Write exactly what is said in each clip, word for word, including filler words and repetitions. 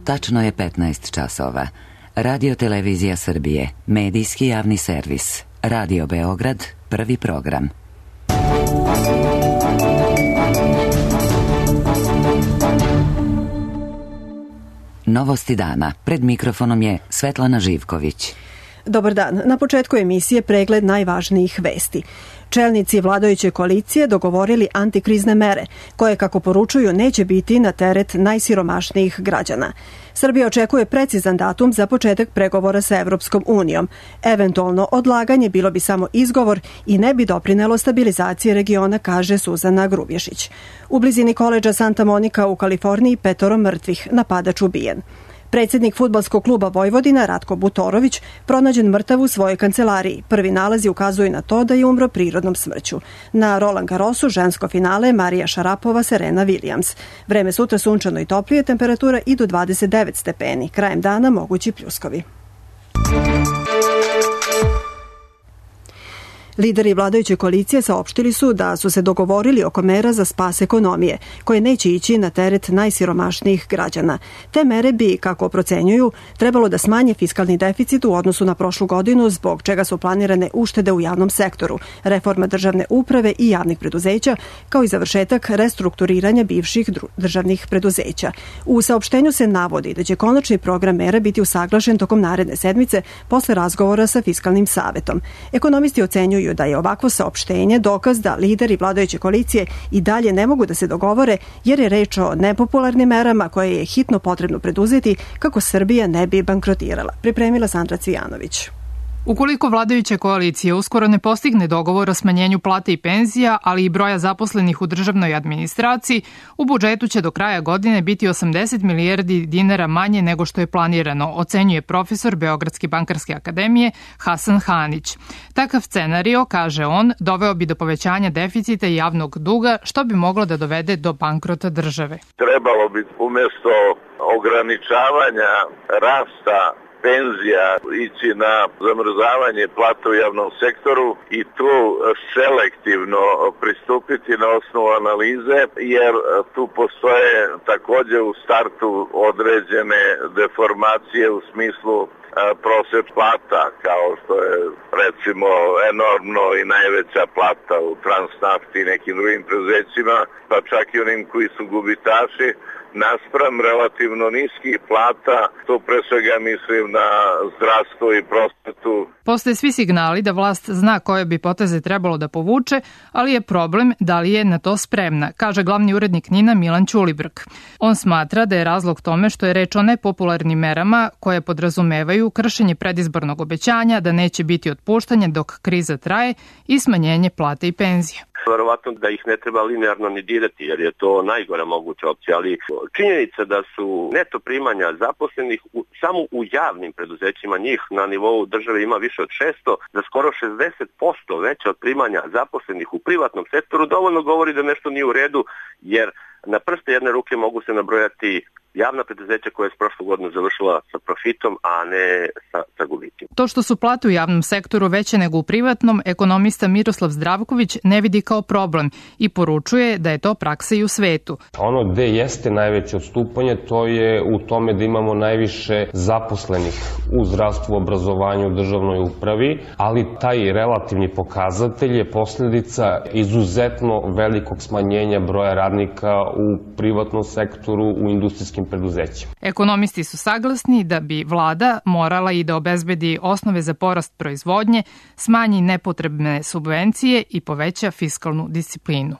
Tačno je petnaest časova. Radio Televizija Srbije, medijski javni servis. Radio Beograd, prvi program. Novosti dana. Pred mikrofonom je Svetlana Živković. Dobar dan. Na početku emisije pregled najvažnijih vesti. Čelnici vladajuće koalicije dogovorili antikrizne mere, koje, kako poručuju, neće biti na teret najsiromašnijih građana. Srbija očekuje precizan datum za početak pregovora sa Evropskom unijom. Eventualno odlaganje bilo bi samo izgovor i ne bi doprinelo stabilizaciji regiona, kaže Suzana Grubješić. U blizini koledža Santa Monica u Kaliforniji petoro mrtvih, napadač ubijen. Predsjednik fudbalskog kluba Vojvodina Ratko Butorović pronađen mrtav u svojoj kancelariji. Prvi nalazi ukazuju na to da je umro prirodnom smrću. Na Roland Garrosu žensko finale Marija Šarapova, Serena Williams. Vreme sutra sunčano i toplije, temperatura i do dvadeset devet stepeni. Krajem dana mogući pljuskovi. Lideri vladajuće koalicije saopštili su da su se dogovorili oko mera za spas ekonomije, koje neće ići na teret najsiromašnijih građana. Te mere bi, kako procenjuju, trebalo da smanje fiskalni deficit u odnosu na prošlu godinu, zbog čega su planirane uštede u javnom sektoru, reforma državne uprave i javnih preduzeća, kao i završetak restrukturiranja bivših državnih preduzeća. U saopštenju se navodi da će konačni program mera biti usaglašen tokom naredne sedmice posle razgovora sa Fiskalnim savetom. Ekonomisti ocenjuju da je ovakvo saopštenje dokaz da lideri vladajuće koalicije i dalje ne mogu da se dogovore, jer je reč o nepopularnim merama koje je hitno potrebno preduzeti kako Srbija ne bi bankrotirala. Pripremila Sandra Cvijanović. Ukoliko vladajuća koalicija uskoro ne postigne dogovor o smanjenju plate i penzija, ali i broja zaposlenih u državnoj administraciji, u budžetu će do kraja godine biti osamdeset milijardi dinara manje nego što je planirano, ocenjuje profesor Beogradske bankarske akademije Hasan Hanić. Takav scenario, kaže on, doveo bi do povećanja deficita i javnog duga, što bi moglo da dovede do bankrota države. Trebalo bi umjesto ograničavanja rasta penzija ići na zamrzavanje plata u javnom sektoru i tu selektivno pristupiti na osnovu analize, jer tu postoje također u startu određene deformacije u smislu prosjek plata, kao što je recimo enormno i najveća plata u Transnafti i nekim drugim preduzećima, pa čak i onim koji su gubitaši, naspram relativno niskih plata, to pre svega mislim na zdravstvo i prosvetu. Postoje svi signali da vlast zna koje bi poteze trebalo da povuče, ali je problem da li je na to spremna, kaže glavni urednik Nina Milan Ćulibrk. On smatra da je razlog tome što je reč o nepopularnim merama koje podrazumevaju kršenje predizbornog obećanja da neće biti otpuštanja dok kriza traje i smanjenje plate i penzija. Verovatno da ih ne treba linearno ni dirati, jer je to najgora moguća opcija, ali činjenica da su neto primanja zaposlenih u, samo u javnim preduzećima, njih na nivou države ima više od šesto, da skoro šezdeset posto veće od primanja zaposlenih u privatnom sektoru, dovoljno govori da nešto nije u redu, jer na prste jedne ruke mogu se nabrojati javna preduzeća koja je s prošlu godinu završila sa profitom, a ne sa, sa gubitima. To što su plate u javnom sektoru veće nego u privatnom, ekonomista Miroslav Zdravković ne vidi kao problem i poručuje da je to praksa i u svetu. Ono gde jeste najveće odstupanje, to je u tome da imamo najviše zaposlenih u zdravstvu, obrazovanju, državnoj upravi, ali taj relativni pokazatelj je posljedica izuzetno velikog smanjenja broja radnika u privatnom sektoru, u industrijskim preduzećima. Ekonomisti su saglasni da bi vlada morala i da obezbedi osnove za porast proizvodnje, smanji nepotrebne subvencije i poveća fiskalnu disciplinu.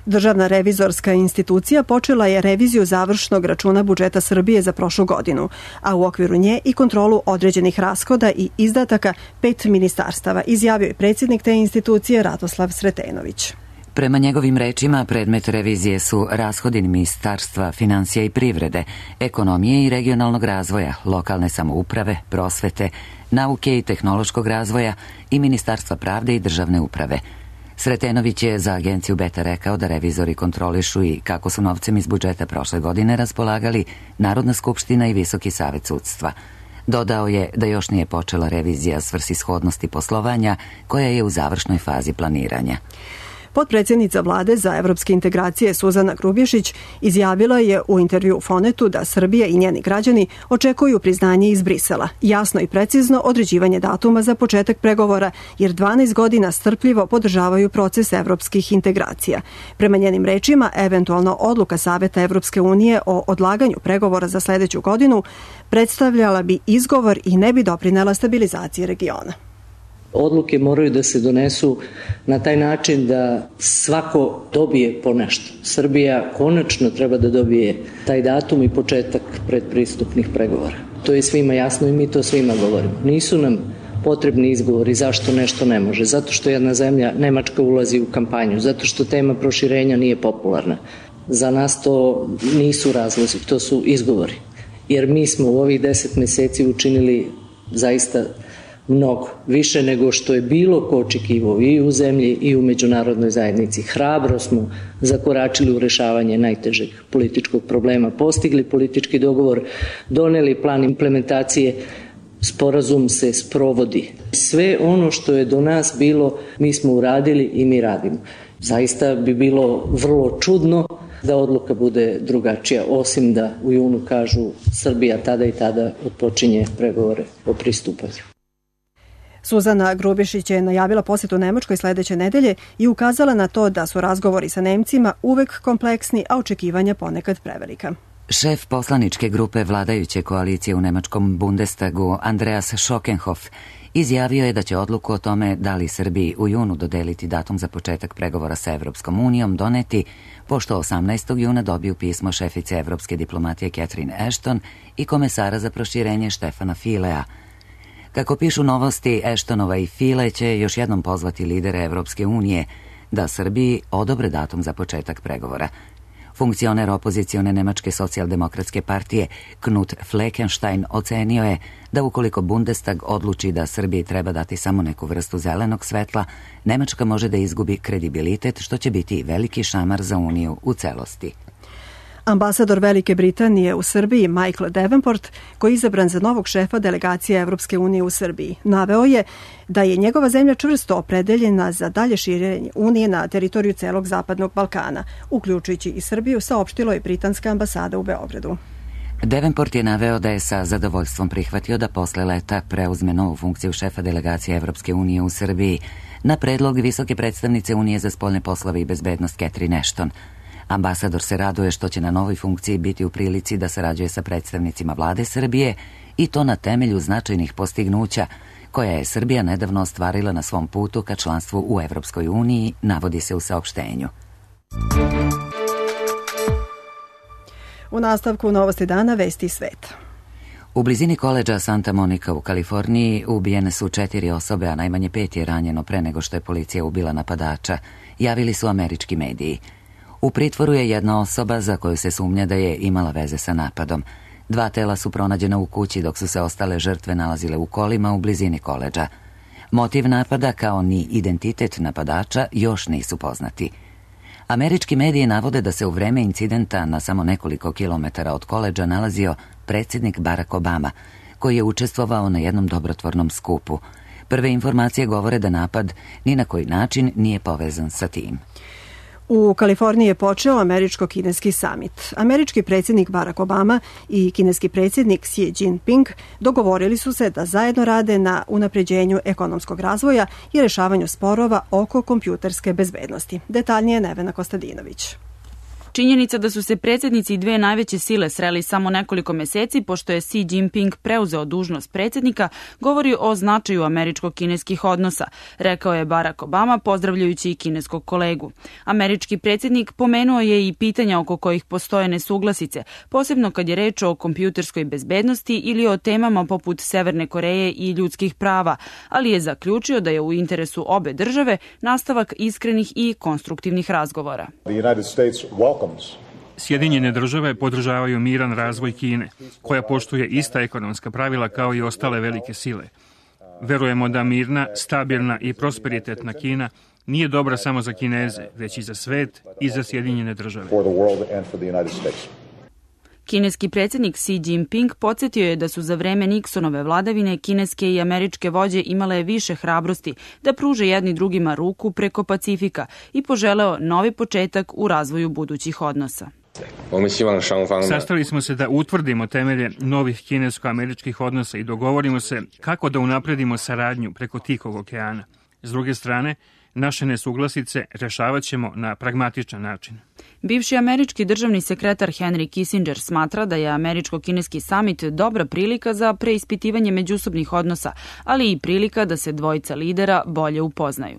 Državna revizorska institucija počela je reviziju završnog računa budžeta Srbije za prošlu godinu, a u okviru nje i kontrolu određenih rashoda i izdataka pet ministarstava, izjavio je predsjednik te institucije Radoslav Sretenović. Prema njegovim rečima, predmet revizije su rashodi Ministarstva finansija i privrede, ekonomije i regionalnog razvoja, lokalne samouprave, prosvete, nauke i tehnološkog razvoja i Ministarstva pravde i državne uprave. Sretenović je za agenciju Beta rekao da revizori kontrolišu i kako su novcem iz budžeta prošle godine raspolagali Narodna skupština i Visoki savet sudstva. Dodao je da još nije počela revizija svrsishodnosti poslovanja koja je u završnoj fazi planiranja. Potpredsjednica vlade za evropske integracije Suzana Grubješić izjavila je u intervju Fonetu da Srbija i njeni građani očekuju priznanje iz Brisela, jasno i precizno određivanje datuma za početak pregovora, jer dvanaest godina strpljivo podržavaju proces evropskih integracija. Prema njenim rečima, eventualno odluka Saveta Evropske unije o odlaganju pregovora za sledeću godinu predstavljala bi izgovor i ne bi doprinela stabilizaciji regiona. Odluke moraju da se donesu na taj način da svako dobije po nešto. Srbija konačno treba da dobije taj datum i početak predpristupnih pregovora. To je svima jasno i mi to svima govorimo. Nisu nam potrebni izgovori zašto nešto ne može. Zato što jedna zemlja, Nemačka, ulazi u kampanju. Zato što tema proširenja nije popularna. Za nas to nisu razlozi, to su izgovori. Jer mi smo u ovih deset meseci učinili zaista mnogo, više nego što je bilo ko očekivao i u zemlji i u međunarodnoj zajednici. Hrabro smo zakoračili u rešavanje najtežeg političkog problema, postigli politički dogovor, doneli plan implementacije, sporazum se sprovodi. Sve ono što je do nas bilo, mi smo uradili i mi radimo. Zaista bi bilo vrlo čudno da odluka bude drugačija, osim da u junu kažu Srbija tada i tada otpočinje pregovore o pristupanju. Suzana Grubješić je najavila posjetu Nemačkoj sledeće nedelje i ukazala na to da su razgovori sa Nemcima uvek kompleksni, a očekivanja ponekad prevelika. Šef poslaničke grupe vladajuće koalicije u nemačkom Bundestagu, Andreas Schockenhoff, izjavio je da će odluku o tome da li Srbiji u junu dodeliti datum za početak pregovora sa Evropskom unijom doneti, pošto osamnaestog juna dobiju pismo šefice evropske diplomatije Catherine Ashton i komesara za proširenje Štefana Filea. Kako pišu Novosti, Ashtonova i File će još jednom pozvati lidere Evropske unije da Srbiji odobre datum za početak pregovora. Funkcioner opozicione Nemačke socijaldemokratske partije Knut Fleckenstein ocenio je da ukoliko Bundestag odluči da Srbiji treba dati samo neku vrstu zelenog svetla, Nemačka može da izgubi kredibilitet, što će biti veliki šamar za Uniju u celosti. Ambasador Velike Britanije u Srbiji Michael Davenport, koji je izabran za novog šefa delegacije Evropske unije u Srbiji, naveo je da je njegova zemlja čvrsto opredeljena za dalje širenje Unije na teritoriju celog Zapadnog Balkana, uključujući i Srbiju, saopštilo je britanska ambasada u Beogradu. Davenport je naveo da je sa zadovoljstvom prihvatio da posle leta preuzme novu funkciju šefa delegacije Evropske unije u Srbiji na predlog visoke predstavnice Unije za spoljne poslove i bezbednost Catherine Ashton. Ambasador se raduje što će na novoj funkciji biti u prilici da sarađuje sa predstavnicima vlade Srbije i to na temelju značajnih postignuća koja je Srbija nedavno ostvarila na svom putu ka članstvu u Evropskoj uniji, navodi se u saopštenju. U nastavku Novosti dana vesti sveta. U blizini koledža Santa Monica u Kaliforniji ubijene su četiri osobe, a najmanje pet je ranjeno pre nego što je policija ubila napadača, javili su američki mediji. U pritvoru je jedna osoba za koju se sumnja da je imala veze sa napadom. Dva tela su pronađena u kući, dok su se ostale žrtve nalazile u kolima u blizini koledža. Motiv napada, kao ni identitet napadača, još nisu poznati. Američki mediji navode da se u vreme incidenta na samo nekoliko kilometara od koledža nalazio predsjednik Barack Obama, koji je učestvovao na jednom dobrotvornom skupu. Prve informacije govore da napad ni na koji način nije povezan sa tim. U Kaliforniji je počeo američko-kineski samit. Američki predsjednik Barack Obama i kineski predsjednik Xi Jinping dogovorili su se da zajedno rade na unapređenju ekonomskog razvoja i rešavanju sporova oko kompjuterske bezbednosti. Detaljnije Nevena Kostadinović. Činjenica da su se predsjednici dve najveće sile sreli samo nekoliko meseci pošto je Xi Jinping preuzeo dužnost predsjednika govori o značaju američko-kineskih odnosa, rekao je Barack Obama pozdravljajući i kineskog kolegu. Američki predsjednik pomenuo je i pitanja oko kojih postoje nesuglasice, posebno kad je reč o kompjuterskoj bezbednosti ili o temama poput Severne Koreje i ljudskih prava, ali je zaključio da je u interesu obe države nastavak iskrenih i konstruktivnih razgovora. Sjedinjene države podržavaju miran razvoj Kine, koja poštuje ista ekonomska pravila kao i ostale velike sile. Verujemo da mirna, stabilna i prosperitetna Kina nije dobra samo za Kineze, već i za svet i za Sjedinjene države. Kineski predsjednik Xi Jinping podsjetio je da su za vreme Nixonove vladavine kineske i američke vođe imale više hrabrosti da pruže jedni drugima ruku preko Pacifika i poželeo novi početak u razvoju budućih odnosa. Sastali smo se da utvrdimo temelje novih kinesko-američkih odnosa i dogovorimo se kako da unapredimo saradnju preko Tihog okeana. S druge strane, naše nesuglasice rešavat ćemo na pragmatičan način. Bivši američki državni sekretar Henry Kissinger smatra da je američko-kineski samit dobra prilika za preispitivanje međusobnih odnosa, ali i prilika da se dvojica lidera bolje upoznaju.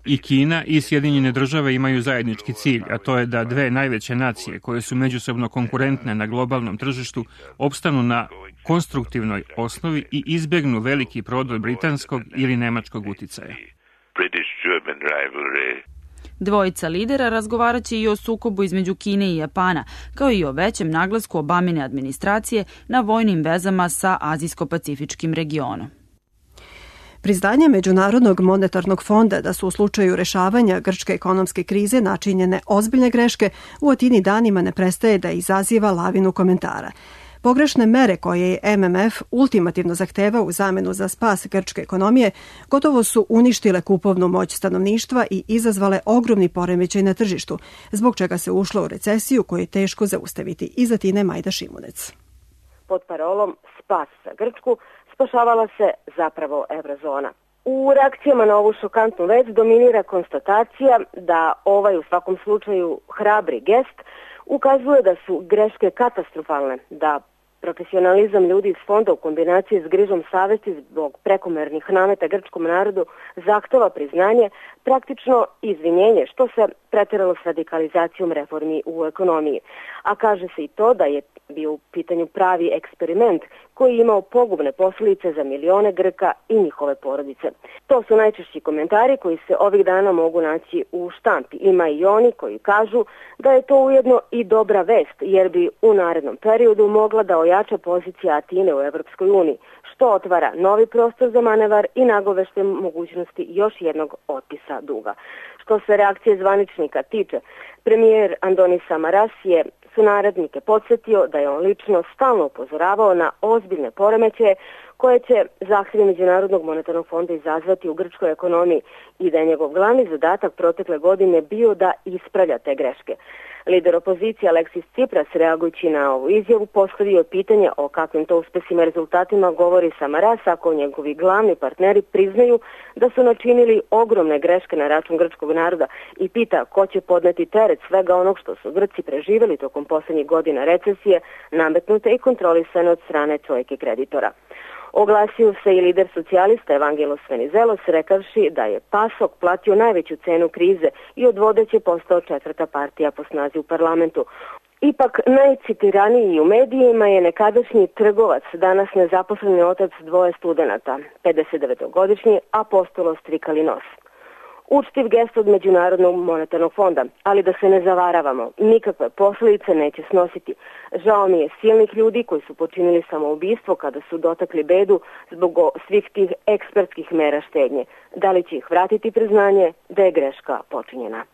I Kina i Sjedinjene države imaju zajednički cilj, a to je da dve najveće nacije koje su međusobno konkurentne na globalnom tržištu opstanu na konstruktivnoj osnovi i izbjegnu veliki prodor britanskog ili nemačkog uticaja. Dvojica lidera razgovarat će i o sukobu između Kine i Japana, kao i o većem naglasku Obamine administracije na vojnim vezama sa Azijsko-pacifičkim regionom. Priznanje Međunarodnog monetarnog fonda da su u slučaju rešavanja grčke ekonomske krize načinjene ozbiljne greške u Atini danima ne prestaje da izaziva lavinu komentara. Pogrešne mere koje je M M F ultimativno zahteva u zamenu za spas grčke ekonomije gotovo su uništile kupovnu moć stanovništva i izazvale ogromni poremećaj na tržištu, zbog čega se ušlo u recesiju koju je teško zaustaviti. Iz Atine Majda Šimunec. Pod parolom Spas za Grčku spašavala se zapravo eurozona. U reakcijama na ovu šokantnu vest dominira konstatacija da ovaj u svakom slučaju hrabri gest ukazuje da su greške katastrofalne, da profesionalizam ljudi iz fonda u kombinaciji s grižom savesti zbog prekomernih nameta grčkom narodu zahteva priznanje, praktično izvinjenje, što se pretjeralo s radikalizacijom reformi u ekonomiji. A kaže se i to da je bio u pitanju pravi eksperiment koji je imao pogubne posljedice za milione Grka i njihove porodice. To su najčešći komentari koji se ovih dana mogu naći u štampi. Ima i oni koji kažu da je to ujedno i dobra vest, jer bi u narednom periodu mogla da ojača pozicija Atine u Evropskoj uniji, što otvara novi prostor za manevar i nagovešte mogućnosti još jednog otpisa duga. Što se reakcije zvaničnika tiče, premijer Andonis Samaras je sunarodnike podsjetio da je on lično stalno upozoravao na ozbiljne poremećaje koje će zahtjevi Međunarodnog monetarnog fonda izazvati u grčkoj ekonomiji i da je njegov glavni zadatak protekle godine bio da ispravlja te greške. Lider opozicije Aleksis Tsipras, reagujući na ovu izjavu, postavio pitanje o kakvim to uspesima rezultatima govori Samaras ako njegovi glavni partneri priznaju da su načinili ogromne greške na račun grčkog naroda i pita ko će podneti teret svega onog što su Grci preživjeli tokom posljednjih godina recesije, nametnute i kontrolisane od strane trojke kreditora. Oglasio se i lider socijalista Evangelos Venizelos rekavši da je PASOK platio najveću cenu krize i od vodeće postao četvrta partija po snazi u parlamentu. Ipak najcitiraniji u medijima je nekadašnji trgovac, danas nezaposleni otac dvoje studenata, pedesetdevetogodišnji Apostolos Trikalinos. Učtiv gest od Međunarodnog monetarnog fonda, ali da se ne zavaravamo, nikakve posljedice neće snositi. Žao mi je silnih ljudi koji su počinili samoubistvo kada su dotakli bedu zbog svih tih ekspertskih mera štednje. Da li će ih vratiti priznanje da je greška počinjena?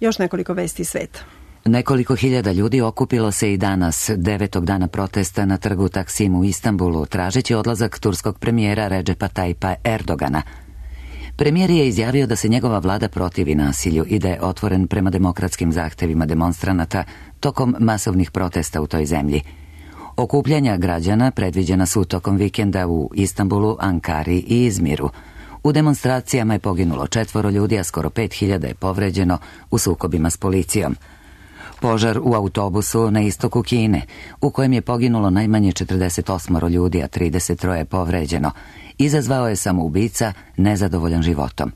Još nekoliko vesti sveta. Nekoliko hiljada ljudi okupilo se i danas, devetog dana protesta na trgu Taksim u Istanbulu, tražeći odlazak turskog premijera Recepa Tayyipa Erdogana. Premijer je izjavio da se njegova vlada protivi nasilju i da je otvoren prema demokratskim zahtevima demonstranata tokom masovnih protesta u toj zemlji. Okupljanja građana predviđena su tokom vikenda u Istanbulu, Ankari i Izmiru. U demonstracijama je poginulo četvoro ljudi, a skoro pet hiljada je povređeno u sukobima s policijom. Požar u autobusu na istoku Kine, u kojem je poginulo najmanje četrdeset osam ljudi, a trideset tri je povređeno, izazvao je samoubica nezadovoljan životom.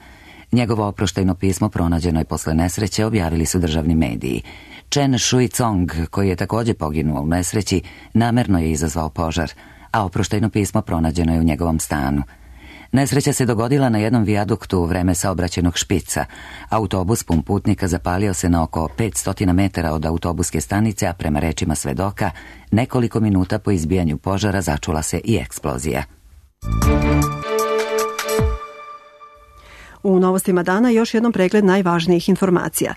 Njegovo oproštajno pismo pronađeno je posle nesreće, objavili su državni mediji. Chen Shui-Cong, koji je također poginuo u nesreći, namerno je izazvao požar, a oproštajno pismo pronađeno je u njegovom stanu. Nesreća se dogodila na jednom vijaduktu u vreme saobraćajnog špica. Autobus pun putnika zapalio se na oko petsto metara od autobuske stanice, a prema rečima svedoka, nekoliko minuta po izbijanju požara začula se i eksplozija. U novostima dana još jednom pregled najvažnijih informacija.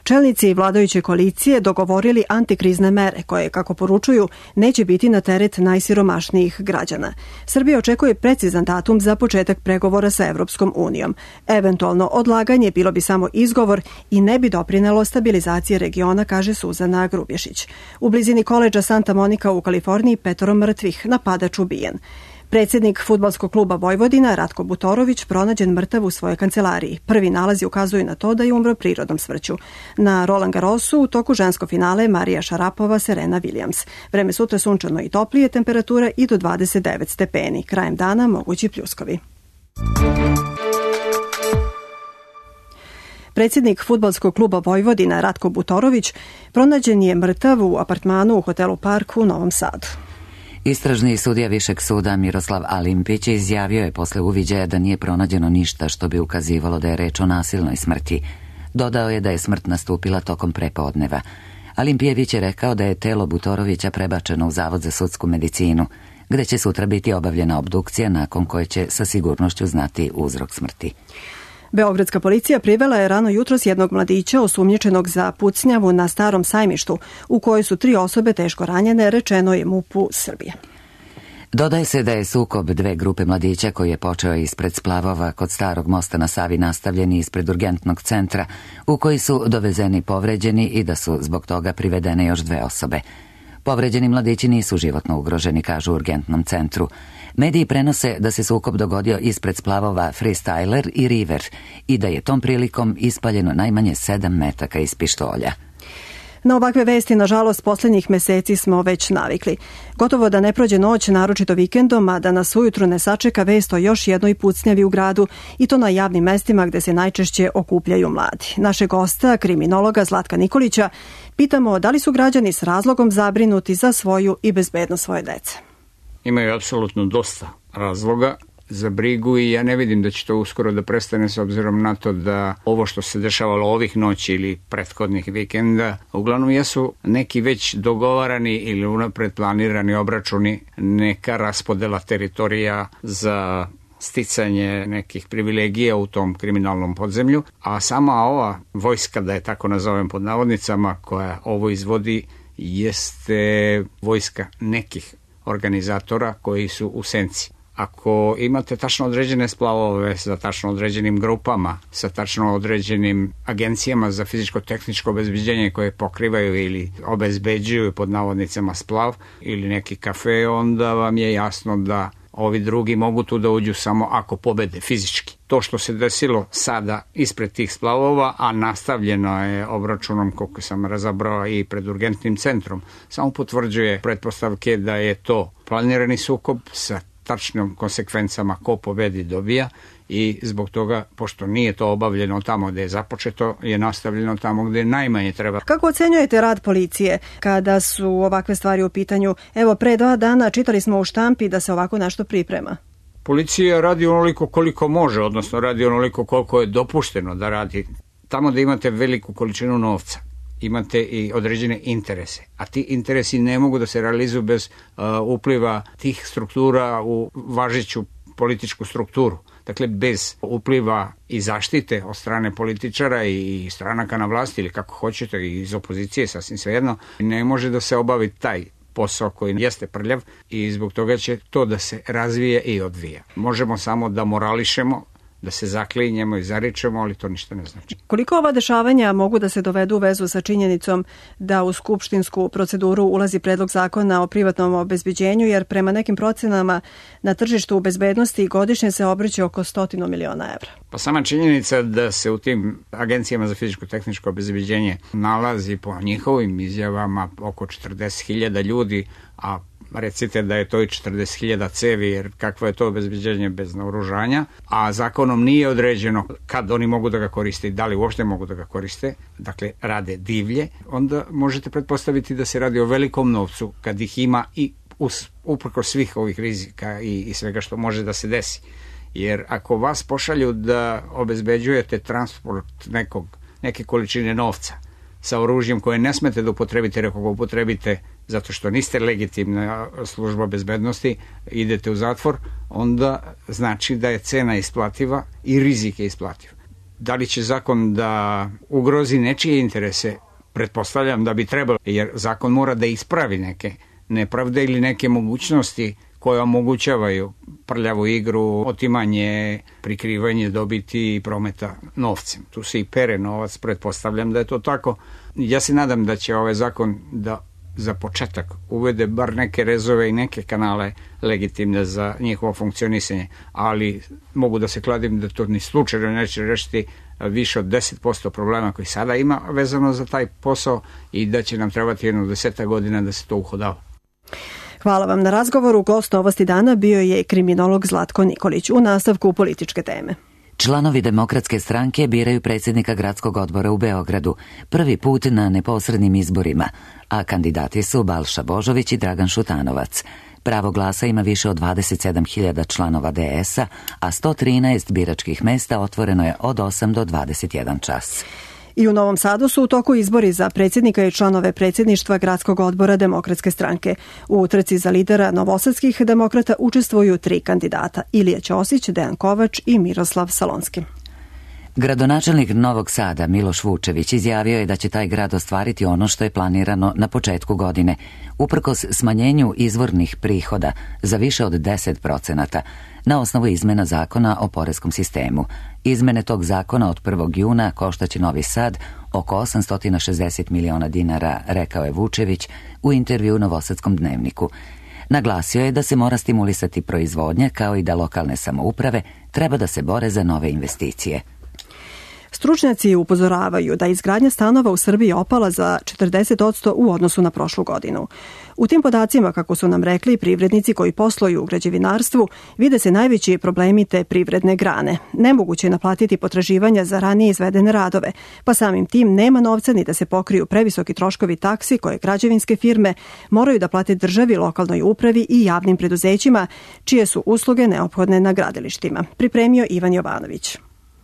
Čelnici vladajuće koalicije dogovorili antikrizne mere koje, kako poručuju, neće biti na teret najsiromašnijih građana. Srbija očekuje precizan datum za početak pregovora sa Evropskom unijom. Eventualno odlaganje bilo bi samo izgovor i ne bi doprinelo stabilizaciji regiona, kaže Suzana Grubješić. U blizini koledža Santa Monica u Kaliforniji petoro mrtvih, napadač ubijen. Predsjednik fudbalskog kluba Vojvodina Ratko Butorović pronađen mrtav u svojoj kancelariji. Prvi nalazi ukazuju na to da je umro prirodnom smrću. Na Roland Garrosu u toku ženskog finale Marija Šarapova, Serena Williams. Vreme sutra sunčano i toplije, temperatura i do dvadeset devet stepeni. Krajem dana mogući pljuskovi. Predsjednik fudbalskog kluba Vojvodina Ratko Butorović pronađen je mrtav u apartmanu u hotelu Park u Novom Sadu. Istražni sudija Višeg suda Miroslav Alimpić izjavio je posle uviđaja da nije pronađeno ništa što bi ukazivalo da je reč o nasilnoj smrti. Dodao je da je smrt nastupila tokom prepodneva. Alimpijević je rekao da je telo Butorovića prebačeno u Zavod za sudsku medicinu, gde će sutra biti obavljena obdukcija nakon koje će sa sigurnošću znati uzrok smrti. Beogradska policija privela je rano jutros jednog mladića osumnjičenog za pucnjavu na Starom sajmištu, u kojoj su tri osobe teško ranjene, rečeno je MUP-u Srbije. Dodaje se da je sukob dve grupe mladića koji je počeo ispred splavova kod Starog mosta na Savi nastavljeni ispred urgentnog centra, u koji su dovezeni povređeni i da su zbog toga privedene još dve osobe. Povređeni mladići nisu životno ugroženi, kažu u urgentnom centru. Mediji prenose da se sukob dogodio ispred splavova Freestyler i River i da je tom prilikom ispaljeno najmanje sedam metaka iz pištolja. Na ovakve vesti, nažalost, posljednjih meseci smo već navikli. Gotovo da ne prođe noć, naročito vikendom, a da nas ujutru ne sačeka vest o još jednoj pucnjavi u gradu i to na javnim mestima gde se najčešće okupljaju mladi. Našeg gosta, kriminologa Zlatka Nikolića, pitamo da li su građani s razlogom zabrinuti za svoju i bezbednost svoje dece. Imaju apsolutno dosta razloga za brigu i ja ne vidim da će to uskoro da prestane s obzirom na to da ovo što se dešavalo ovih noći ili prethodnih vikenda uglavnom jesu neki već dogovarani ili unapred planirani obračuni, neka raspodela teritorija za sticanje nekih privilegija u tom kriminalnom podzemlju, a sama ova vojska, da je tako nazovem pod navodnicama, koja ovo izvodi jeste vojska nekih organizatora koji su u senci. Ako imate tačno određene splavove sa tačno određenim grupama, sa tačno određenim agencijama za fizičko-tehničko obezbeđenje koje pokrivaju ili obezbeđuju pod navodnicama splav ili neki kafe, onda vam je jasno da ovi drugi mogu tu da uđu samo ako pobede fizički. To što se desilo sada ispred tih splavova, a nastavljeno je obračunom, koliko sam razabrao, i pred urgentnim centrom, samo potvrđuje pretpostavke da je to planirani sukob sa tačnim konsekvencama ko pobedi dobija i zbog toga, pošto nije to obavljeno tamo gde je započeto, je nastavljeno tamo gde najmanje treba. Kako ocenjujete rad policije kada su ovakve stvari u pitanju? Evo, pre dva dana čitali smo u štampi da se ovako nešto priprema. Policija radi onoliko koliko može, odnosno radi onoliko koliko je dopušteno da radi. Tamo da imate veliku količinu novca, imate i određene interese, a ti interesi ne mogu da se realizuju bez uh, upliva tih struktura u važeću političku strukturu. Dakle, bez upliva i zaštite od strane političara i stranaka na vlasti ili kako hoćete i iz opozicije, sasvim svejedno, ne može da se obavi taj posao koji jeste prljav i zbog toga će to da se razvije i odvija. Možemo samo da morališemo, da se zaklinjemo i zaričemo, ali to ništa ne znači. Koliko ova dešavanja mogu da se dovedu u vezu sa činjenicom da u skupštinsku proceduru ulazi predlog zakona o privatnom obezbeđenju, jer prema nekim procenama na tržištu bezbednosti godišnje se obrće oko stotinu miliona evra? Pa sama činjenica da se u tim agencijama za fizičko-tehničko obezbeđenje nalazi po njihovim izjavama oko četrdeset hiljada ljudi, a recite da je to i četrdeset hiljada cevi, jer kakvo je to obezbeđenje bez naoružanja, a zakonom nije određeno kad oni mogu da ga koriste i da li uopšte mogu da ga koriste, dakle rade divlje, onda možete pretpostaviti da se radi o velikom novcu kad ih ima i uprkos svih ovih rizika i, i svega što može da se desi. Jer ako vas pošalju da obezbeđujete transport nekog, neke količine novca sa oružjem koje ne smete da upotrebite, jer ako ga upotrebite zato što niste legitimna služba bezbednosti, idete u zatvor, onda znači da je cena isplativa i rizik je isplativ. Da li će zakon da ugrozi nečije interese? Pretpostavljam da bi trebalo, jer zakon mora da ispravi neke nepravde ili neke mogućnosti koje omogućavaju prljavu igru, otimanje, prikrivanje dobiti i prometa novcem. Tu se i pere novac, pretpostavljam da je to tako. Ja se nadam da će ovaj zakon da za početak uvede bar neke rezove i neke kanale legitimne za njihovo funkcionisanje, ali mogu da se kladim da to ni slučajno neće rešiti više od deset posto problema koji sada ima vezano za taj posao i da će nam trebati jedno deseta godina da se to uhodava. Hvala vam na razgovoru. Gost Novosti dana bio je kriminolog Zlatko Nikolić. U nastavku političke teme. Članovi Demokratske stranke biraju predsjednika gradskog odbora u Beogradu, prvi put na neposrednim izborima, a kandidati su Balša Božović i Dragan Šutanovac. Pravo glasa ima više od dvadeset sedam hiljada članova D S-a, a sto trinaest biračkih mesta otvoreno je od osam do dvadeset jedan čas. I u Novom Sadu su u toku izbori za predsjednika i članove predsjedništva gradskog odbora Demokratske stranke. U utrci za lidera novosadskih demokrata učestvuju tri kandidata: Ilija Ćosić, Dejan Kovač i Miroslav Salonski. Gradonačelnik Novog Sada Miloš Vučević izjavio je da će taj grad ostvariti ono što je planirano na početku godine, uprkos smanjenju izvornih prihoda za više od deset procenata na osnovu izmena zakona o poreskom sistemu. Izmene tog zakona od prvog juna koštaće Novi Sad oko osamsto šezdeset miliona dinara, rekao je Vučević u intervju Novosadskom dnevniku. Naglasio je da se mora stimulisati proizvodnja, kao i da lokalne samouprave treba da se bore za nove investicije. Stručnjaci upozoravaju da izgradnja stanova u Srbiji opala za četrdeset posto u odnosu na prošlu godinu. U tim podacima, kako su nam rekli privrednici koji posluju u građevinarstvu, vide se najveći problemi te privredne grane. Nemoguće je naplatiti potraživanja za ranije izvedene radove, pa samim tim nema novca ni da se pokriju previsoki troškovi taksi koje građevinske firme moraju da plate državi, lokalnoj upravi i javnim preduzećima, čije su usluge neophodne na gradilištima. Pripremio Ivan Jovanović.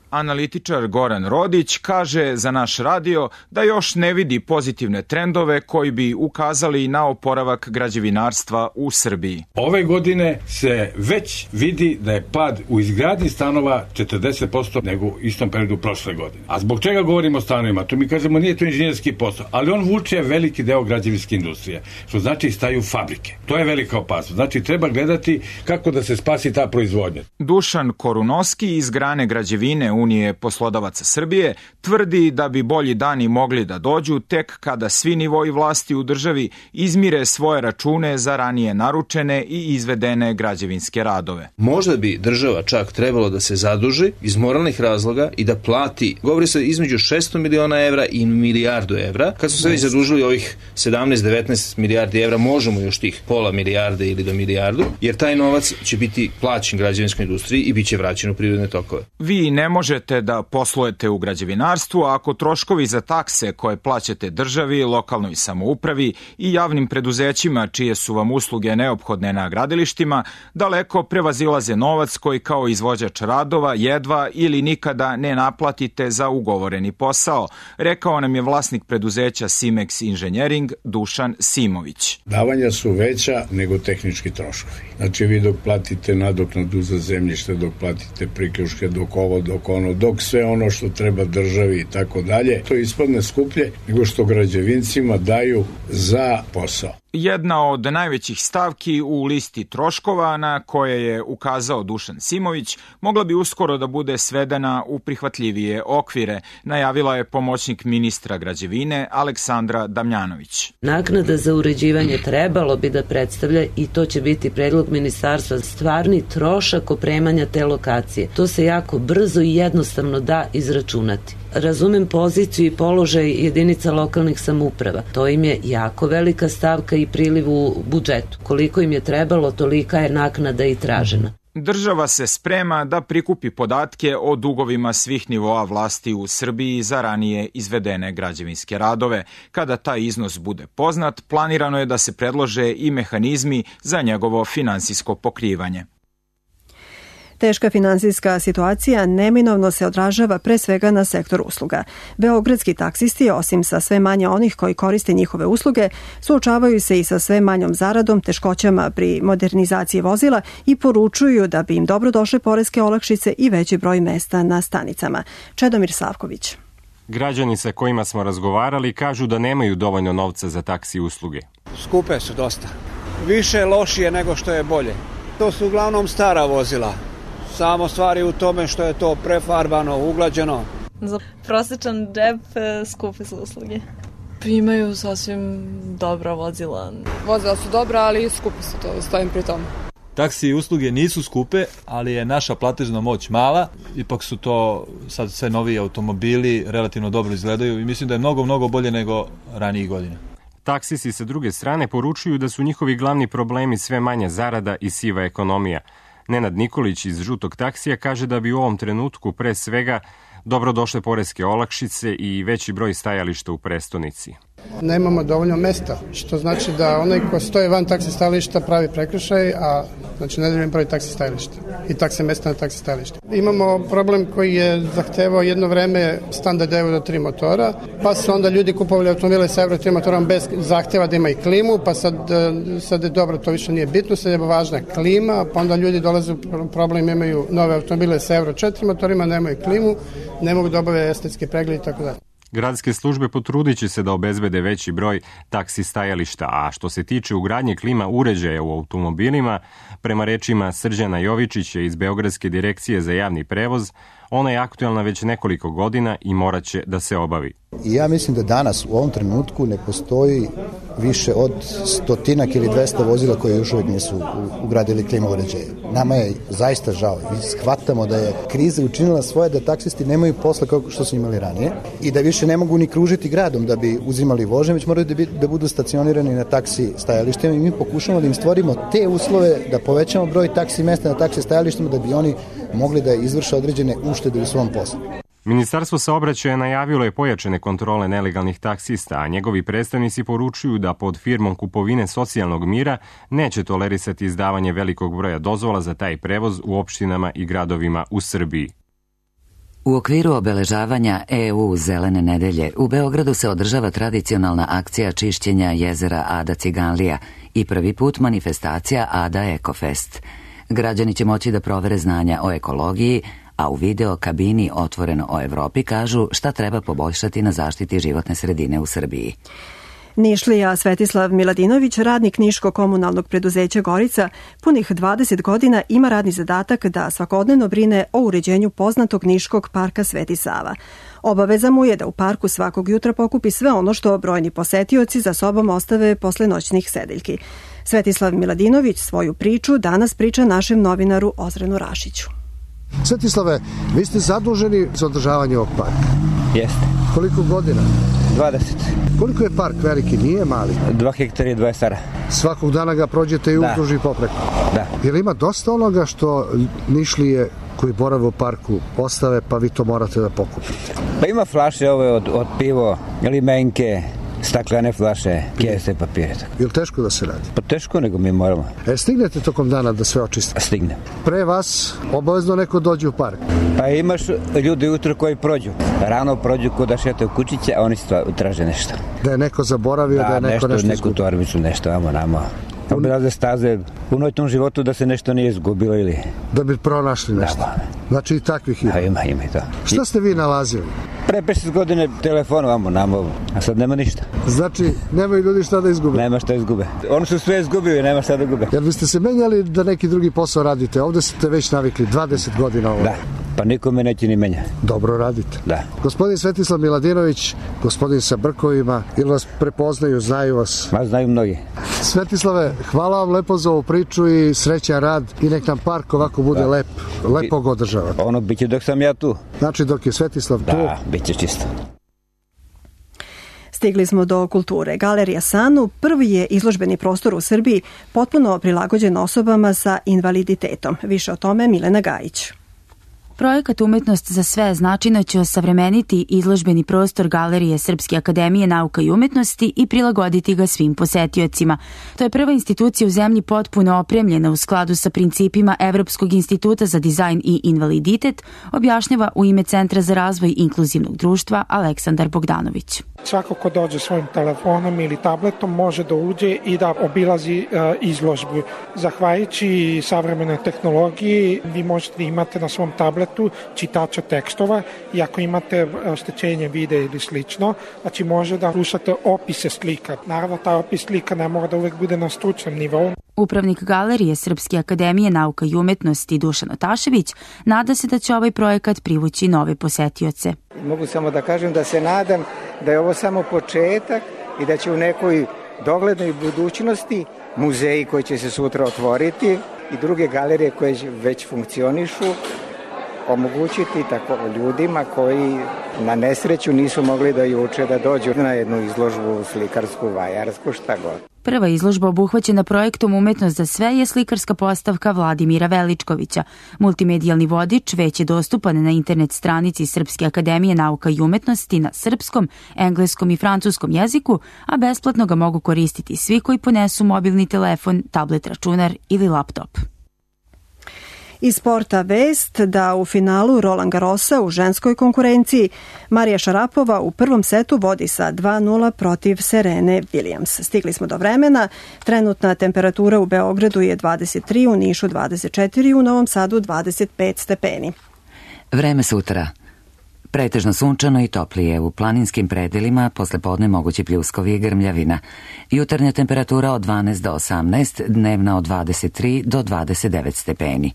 Analitičar Goran Rodić kaže za naš radio da još ne vidi pozitivne trendove koji bi ukazali na oporavak građevinarstva u Srbiji. Ove godine se već vidi da je pad u izgradnji stanova četrdeset posto nego u istom periodu prošle godine. A zbog čega govorimo o stanovima? To mi kažemo nije to inženjerski posao, ali on vuče veliki deo građevinske industrije, što znači staju fabrike. To je velika opasnost. Znači treba gledati kako da se spasi ta proizvodnja. Dušan Korunoski iz grane građevine Unije poslodavaca Srbije tvrdi da bi bolji dani mogli da dođu tek kada svi nivoji vlasti u državi izmire svoje račune za ranije naručene i izvedene građevinske radove. Možda bi država čak trebalo da se zaduži iz moralnih razloga i da plati, govori se između šesto miliona evra i milijardu evra. Kad su se već zadužili ovih sedamnaest devetnaest milijardi evra, možemo još tih pola milijarde ili do milijardu, jer taj novac će biti plaćen građevinskoj industriji i bit će vraćen u privredne tokove. Vi ne možete da poslujete u građevinarstvu ako troškovi za takse koje plaćate državi, lokalnoj samoupravi i javnim preduzećima čije su vam usluge neophodne na gradilištima daleko prevazilaze novac koji kao izvođač radova jedva ili nikada ne naplatite za ugovoreni posao, rekao nam je vlasnik preduzeća Simex Inženjering Dušan Simović. Davanja su veća nego tehnički troškovi. Znači vi dok platite nadoknadu za zemljište, dok platite priključke, dok ovo, dok ono, dok sve ono što treba državi i tako dalje, to ispadne skuplje nego što građevincima daju za posao. Jedna od najvećih stavki u listi troškova na koje je ukazao Dušan Simović mogla bi uskoro da bude svedena u prihvatljivije okvire, najavila je pomoćnik ministra građevine Aleksandra Damjanović. Naknada za uređivanje trebalo bi da predstavlja, i to će biti predlog ministarstva, stvarni trošak opremanja te lokacije. To se jako brzo i jednostavno da izračunati. Razumem poziciju i položaj jedinica lokalnih samouprava. To im je jako velika stavka i priliv u budžetu. Koliko im je trebalo, tolika je naknada i tražena. Država se sprema da prikupi podatke o dugovima svih nivoa vlasti u Srbiji za ranije izvedene građevinske radove. Kada taj iznos bude poznat, planirano je da se predlože i mehanizmi za njegovo finansijsko pokrivanje. Teška finansijska situacija neminovno se odražava pre svega na sektor usluga. Beogradski taksisti, osim sa sve manje onih koji koriste njihove usluge, suočavaju se i sa sve manjom zaradom, teškoćama pri modernizaciji vozila i poručuju da bi im dobro došle poreske olakšice i veći broj mesta na stanicama. Čedomir Savković. Građani sa kojima smo razgovarali kažu da nemaju dovoljno novca za taksi usluge. Skupe su dosta. Više lošije nego što je bolje. To su uglavnom stara vozila. Samo stvari u tome što je to prefarbano, uglađeno. Za prosječan džep skupe su usluge. Imaju sasvim dobra vozila. Vozila su dobra, ali skupe su, to stojim pri tom. Taksi i usluge nisu skupe, ali je naša platežna moć mala. Ipak su to sad sve noviji automobili, relativno dobro izgledaju i mislim da je mnogo, mnogo bolje nego ranijih godina. Taksisi sa druge strane poručuju da su njihovi glavni problemi sve manja zarada i siva ekonomija. Nenad Nikolić iz Žutog taksija kaže da bi u ovom trenutku pre svega dobro došle poreske olakšice i veći broj stajališta u prestonici. Nemamo dovoljno mesta, što znači da onaj ko stoji van taksi stajališta pravi prekršaj, a znači nedovoljan broj taksi stajališta i takse mesta na taksi stajališta. Imamo problem koji je zahtevao jedno vreme standard euro tri motora, pa su onda ljudi kupovali automobile sa euro tri motorom bez zahteva da ima i klimu, pa sad, sad je dobro, to više nije bitno, sad je važna klima, pa onda ljudi dolaze u problem, imaju nove automobile sa euro četiri motorima, nemaju klimu, ne mogu da obave estetske preglede i tako dalje. Gradske službe potrudit će se da obezbede veći broj taksi stajališta, a što se tiče ugradnje klima uređaja u automobilima, prema rečima Srđana Jovičića iz Beogradske direkcije za javni prevoz, ona je aktuelna već nekoliko godina i morat će da se obavi. I ja mislim da danas u ovom trenutku ne postoji više od stotinak ili dvesta vozila koje još uvijek nisu ugradili klima uređaje. Nama je zaista žao. Mi shvatamo da je kriza učinila svoje da taksisti nemaju posla kao što su imali ranije i da više ne mogu ni kružiti gradom da bi uzimali vožnje, već moraju da, bi, da budu stacionirani na taksi stajalištima i mi pokušamo da im stvorimo te uslove da povećamo broj taksi mesta na taksi stajalištima da bi oni mogli da izvrše određene uštede u svom poslu. Ministarstvo saobraćaja najavilo je pojačane kontrole nelegalnih taksista, a njegovi predstavnici poručuju da pod firmom kupovine socijalnog mira neće tolerisati izdavanje velikog broja dozvola za taj prevoz u opštinama i gradovima u Srbiji. U okviru obeležavanja E U Zelene nedelje u Beogradu se održava tradicionalna akcija čišćenja jezera Ada Ciganlija i prvi put manifestacija Ada Ekofest. Građani će moći da provere znanja o ekologiji, a u video kabini Otvoreno o Evropi kažu šta treba poboljšati na zaštiti životne sredine u Srbiji. Nišlija Svetislav Miladinović, radnik Niško-komunalnog preduzeća Gorica, punih dvadeset godina ima radni zadatak da svakodnevno brine o uređenju poznatog Niškog parka Sveti Sava. Obaveza mu je da u parku svakog jutra pokupi sve ono što brojni posetioci za sobom ostave posle noćnih sedeljki. Svetislav Miladinović svoju priču danas priča našem novinaru Ozrenu Rašiću. Svetislave, vi ste zaduženi za održavanje ovog parka. Jeste. Koliko godina? dvadeset. Koliko je park veliki, nije mali? Dva hektara i dvadeset ara. Svakog dana ga prođete i uzduž i popreko? Da. Jer ima dosta onoga što Nišlije koji borave u parku ostave, pa vi to morate da pokupite? Pa ima flaše ove od, od pivo, limenke, staklene flaše, kese, papire. Je li teško da se radi? Pa teško, nego mi moramo. E, stignete tokom dana da sve očistite? Stignem. Pre vas obavezno neko dođe u park? Pa imaš ljudi ujutro koji prođu. Rano prođu ko da šete u kućiće, a oni traže nešto. Da je neko zaboravio, da, da je neko nešto, nešto neku torbicu, nešto, amo, namo. Obilaze staze u noćnom životu da se nešto nije izgubilo ili... Da bi pronašli nešto. Da, znači i takvih ima. Da, ima, ima i to. Šta ste vi nalazili? Pre pedeset godine telefon vamo, namo, a sad nema ništa. Znači, nemaju ljudi šta da izgube? Nema šta izgube. Oni su sve izgubili, nema šta da gube. Jel biste se menjali da neki drugi posao radite? Ovde ste već navikli dvadeset godina ovo. Da, pa nikome neće ni menja. Dobro radite. Da. Gospodin Svetislav Miladinović, gospodin sa brkovima, ili vas prepoznaju, znaju vas? Ma, znaju mnogi. Svetislave, hvala vam lepo za ovu priču i srećan rad i nek nam park ovako bude da. lep, lepo ga održavati. Ono biće dok sam ja tu. Znači dok je Svetislav da, tu? Da, biće čisto. Stigli smo do kulture. Galerija Sanu prvi je izložbeni prostor u Srbiji potpuno prilagođen osobama sa invaliditetom. Više o tome Milena Gajić. Projekat Umetnost za sve značajno će osavremeniti izložbeni prostor Galerije Srpske akademije nauka i umetnosti i prilagoditi ga svim posetiocima. To je prva institucija u zemlji potpuno opremljena u skladu sa principima Evropskog instituta za dizajn i invaliditet, objašnjava u ime Centra za razvoj inkluzivnog društva Aleksandar Bogdanović. Svako ko dođe svojim telefonom ili tabletom može da uđe i da obilazi uh, izložbu. Zahvaljujući savremenoj tehnologiji vi možete da imate na svom tabletu čitača tekstova i ako imate oštećenje videa ili slično, znači može da slušate opise slika. Naravno, taj opis slika ne mora da uvek bude na stručnom nivou. Upravnik Galerije Srpske akademije nauka i umetnosti Dušan Otašević nada se da će ovaj projekat privući nove posetioce. Mogu samo da kažem da se nadam da je ovo samo početak i da će u nekoj doglednoj budućnosti muzeji koji će se sutra otvoriti i druge galerije koje već funkcionišu omogućiti tako ljudima koji na nesreću nisu mogli da juče da dođu na jednu izložbu slikarsku, vajarsku, šta god. Prva izložba obuhvaćena projektom Umetnost za sve je slikarska postavka Vladimira Veličkovića. Multimedijalni vodič već je dostupan na internet stranici Srpske akademije nauka i umetnosti na srpskom, engleskom i francuskom jeziku, a besplatno ga mogu koristiti svi koji ponesu mobilni telefon, tablet računar ili laptop. Iz sporta vest da u finalu Roland Garrosa u ženskoj konkurenciji Marija Šarapova u prvom setu vodi sa dva nula protiv Serene Williams. Stigli smo do vremena. Trenutna temperatura u Beogradu je dvadeset tri, u Nišu dvadeset četiri, u Novom Sadu dvadeset pet stepeni. Vreme sutra. Pretežno sunčano i toplije, u planinskim predelima posle podne mogući pljuskovi i grmljavina. Jutarnja temperatura od dvanaest do osamnaest, dnevna od dvadeset tri do dvadeset devet stepeni.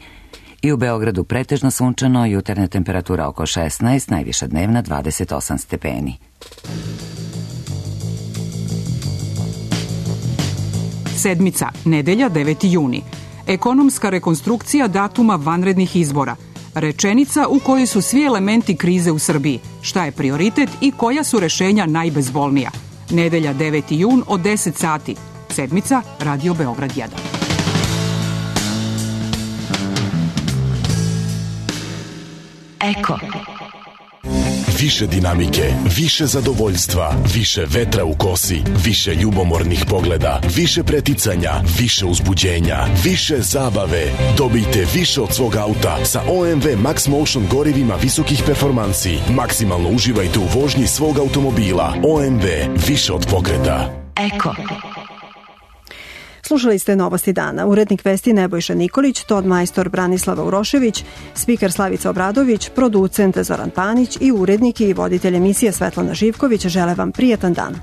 I u Beogradu pretežno sunčano, jutarnja temperatura oko šesnaest, najviša dnevna dvadeset osam stepeni. Sedmica, nedelja deveti juni. Ekonomska rekonstrukcija datuma vanrednih izbora. Rečenica u kojoj su svi elementi krize u Srbiji. Šta je prioritet i koja su rešenja najbezbolnija. Nedelja deveti jun od deset sati. Sedmica, Radio Beograd jedan. Eko. Više dinamike, više zadovoljstva, više vetra u kosi, više ljubomornih pogleda, više preticanja, više uzbuđenja, više zabave. Dobijte više od svog auta sa O M V Max Motion gorivima visokih performansi. Maksimalno uživajte u vožnji svog automobila. O M V, više od pokreta. Eko. Slušali ste Novosti dana. Urednik vesti Nebojša Nikolić, ton majstor Branislava Urošević, spiker Slavica Obradović, producent Zoran Panić i urednik i voditelj emisije Svetlana Živković žele vam prijatan dan.